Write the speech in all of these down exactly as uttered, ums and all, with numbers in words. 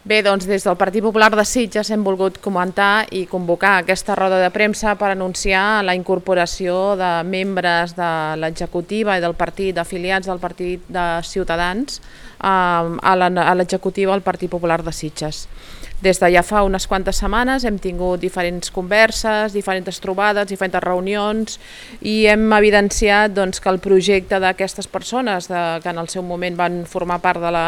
Bé, doncs des del Partit Popular de Sitges hem volgut comentar i convocar aquesta roda de premsa per anunciar la incorporació de membres de l'executiva i del partit, afiliats del Partit de Ciutadans, a l'executiva del Partit Popular de Sitges. Des de ja fa unes quantes setmanes hem tingut diferents converses, diferents trobades, diferents reunions i hem evidenciat doncs, que el projecte d'aquestes persones de, que en el seu moment van formar part de la,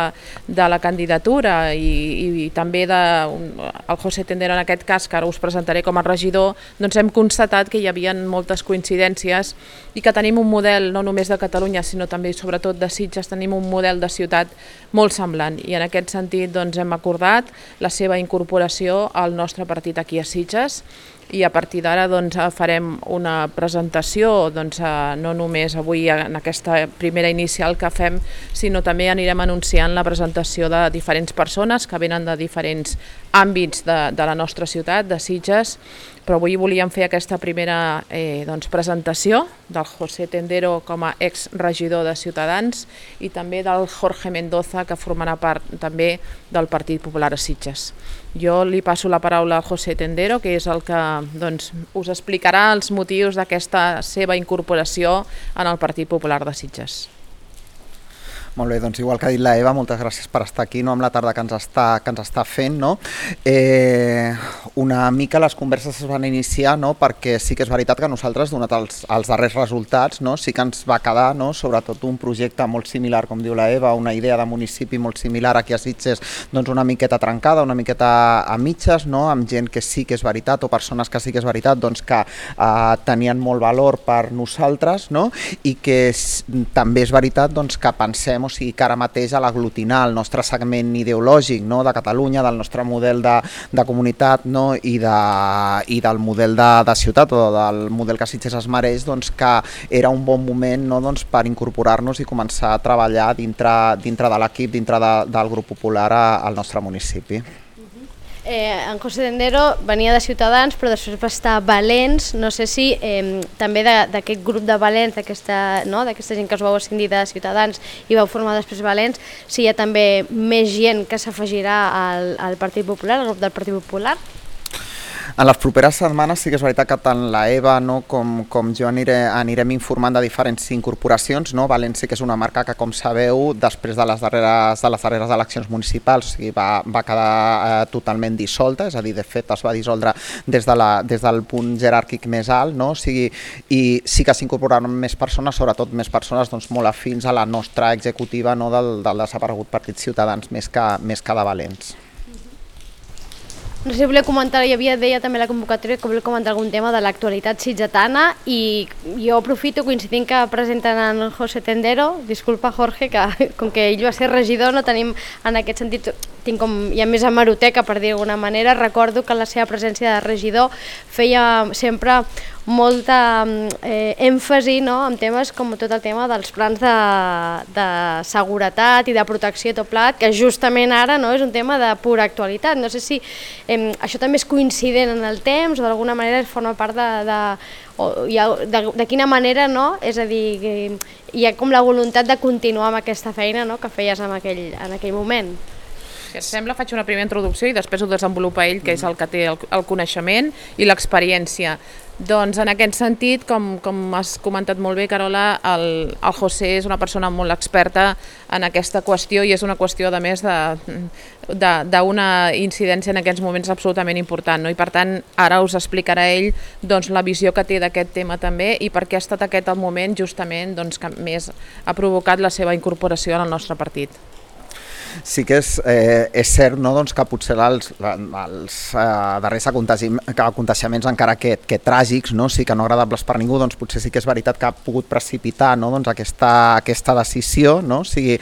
de la candidatura i, i, i també de, el José Tendero en aquest cas, que ara us presentaré com a regidor, doncs hem constatat que hi havia moltes coincidències i que tenim un model no només de Catalunya sinó també sobretot de Sitges, tenim un model de ciutat molt semblant i en aquest sentit doncs, hem acordat la seva incorporació al nostre partit aquí a Sitges i a partir d'ara doncs, farem una presentació doncs, no només avui en aquesta primera inicial que fem, sinó també anirem anunciant la presentació de diferents persones que venen de diferents àmbits de, de la nostra ciutat, de Sitges, però avui volíem fer aquesta primera eh, doncs, presentació del José Tendero com a exregidor de Ciutadans i també del Jorge Mendoza, que formarà part també del Partit Popular a Sitges. Jo li passo la paraula al José Tendero, que és el que doncs, us explicarà els motius d'aquesta seva incorporació en el Partit Popular de Sitges. Molt bé, doncs igual que ha dit la Eva, moltes gràcies per estar aquí, no, amb la tarda que ens està, que ens està fent. No? Eh, una mica les converses es van iniciar no? perquè sí que és veritat que nosaltres, donat els, els darrers resultats, no? sí que ens va quedar no? sobretot un projecte molt similar, com diu la Eva, una idea de municipi molt similar aquí a Sitges, doncs una miqueta trencada, una miqueta a mitges, no? amb gent que sí que és veritat o persones que sí que és veritat doncs que eh, tenien molt valor per nosaltres no? i que també és veritat doncs, que pensem o sigui que ara mateix a l'aglutinar el nostre segment ideològic no, de Catalunya, del nostre model de, de comunitat no, i, de, i del model de, de ciutat o del model que Sitges es mereix, doncs, que era un bon moment no, doncs, per incorporar-nos i començar a treballar dintre, dintre de l'equip, dintre de, del grup popular a, al nostre municipi. Eh, en José Tendero venia de Ciutadans, però després va estar a Valens. No sé si eh, també d'aquest grup de Valens, d'aquesta no, gent que us vau ascendir de Ciutadans i vau formar després Valens, si hi ha també més gent que s'afegirà al, al Partit Popular, al grup del Partit Popular. En les properes setmanes sí que és veritat que tant la Eva no, com, com jo aniré, anirem informant de diferents incorporacions. No? Valens sí que és una marca que, com sabeu, després de les darreres, de les darreres eleccions municipals o sigui, va, va quedar eh, totalment dissolta, és a dir, de fet es va dissoldre des, de la, des del punt jeràrquic més alt, no? o sigui, i sí que s'incorporaran més persones, sobretot més persones doncs, molt afins a la nostra executiva no, del, del desaparegut Partit Ciutadans més que, més que de Valens. No sé si volia comentar, hi havia, deia també la convocatòria que volia comentar algun tema de l'actualitat sitgetana i jo aprofito coincidint que presenten en José Tendero, disculpa Jorge, que com que ell va ser regidor no tenim en aquest sentit, tinc com, hi ha més hemeroteca per dir d'alguna manera, recordo que la seva presència de regidor feia sempre molta eh, èmfasi no, en temes com tot el tema dels plans de, de seguretat i de protecció i tot plat, que justament ara no, és un tema de pura actualitat. No sé si eh, això també és coincident en el temps o d'alguna manera forma part de, de, o, ha, de, de quina manera, no? És a dir, que hi ha com la voluntat de continuar amb aquesta feina no, que feies en aquell, en aquell moment. Si et sembla, faig una primera introducció i després ho desenvolupa ell, que és el que té el, el coneixement i l'experiència. Doncs en aquest sentit, com, com has comentat molt bé, Carola, el, el José és una persona molt experta en aquesta qüestió i és una qüestió, a més, d'una incidència en aquests moments absolutament important. No? I per tant, ara us explicarà ell doncs, la visió que té d'aquest tema també i per què ha estat aquest el moment justament doncs, que més ha provocat la seva incorporació en el nostre partit. Sí que és, eh, és cert no, doncs, que potser els, els eh, darrers aconteixements encara que, que tràgics, no, sí que no agradables per ningú, doncs potser sí que és veritat que ha pogut precipitar no, doncs, aquesta, aquesta decisió. No? O sigui,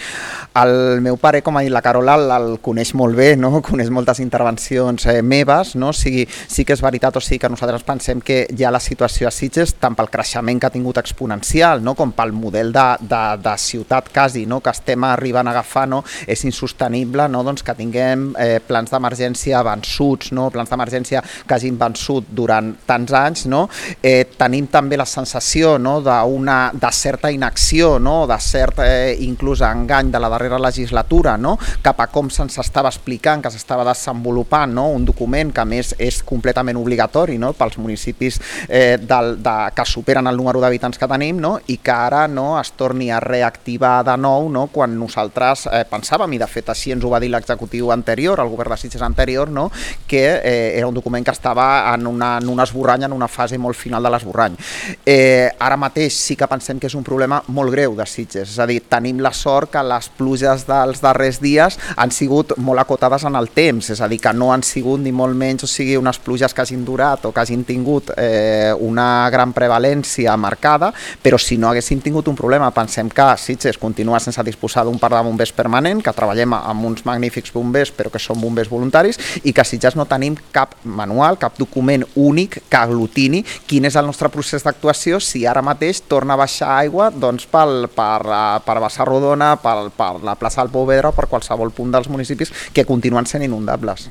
el meu pare, com ha dit la Carola, el, el coneix molt bé, no? Coneix moltes intervencions eh, meves, no? O sigui, sí que és veritat, o sigui que nosaltres pensem que ja la situació a Sitges, tant pel creixement que ha tingut exponencial, no? com pel model de, de, de ciutat quasi no? que estem arribant a agafar, no? és insostenible, no? Doncs que tinguem eh, plans d'emergència vençuts, no? Plans d'emergència que hagin vençut durant tants anys, no? Eh, tenim també la sensació, no? d'una de certa inacció, no? De cert eh, inclús engany de la darrera legislatura, no? Cap a com se'ns estava explicant, que s'estava desenvolupant, no? Un document que a més és completament obligatori, no? Pels municipis eh, del, de, que superen el número d'habitants que tenim, no? I que ara no es torni a reactivar de nou, no? Quan nosaltres eh, pensàvem, i de fet així ens ho va dir l'executiu anterior, el govern de Sitges anterior, no? Que eh, era un document que estava en, una, en un esborrany, en una fase molt final de l'esborrany. Eh, ara mateix sí que pensem que és un problema molt greu de Sitges, és a dir, tenim la sort que les pluges dels darrers dies han sigut molt acotades en el temps, és a dir, que no han sigut ni molt menys, o sigui, unes pluges que hagin durat o que hagin tingut eh, una gran prevalència marcada, però si no haguessin tingut un problema, pensem que Sitges continua sense disposar d'un parc de bombers permanent, que treballem amb uns magnífics bombers, però que són bombers voluntaris, i que a Sitges no tenim cap manual, cap document únic que aglutini quin és el nostre procés d'actuació si ara mateix torna a baixar aigua doncs, pel, per, per Bassarrodona, per, per la plaça del Pouvedre o per qualsevol punt dels municipis que continuen sent inundables.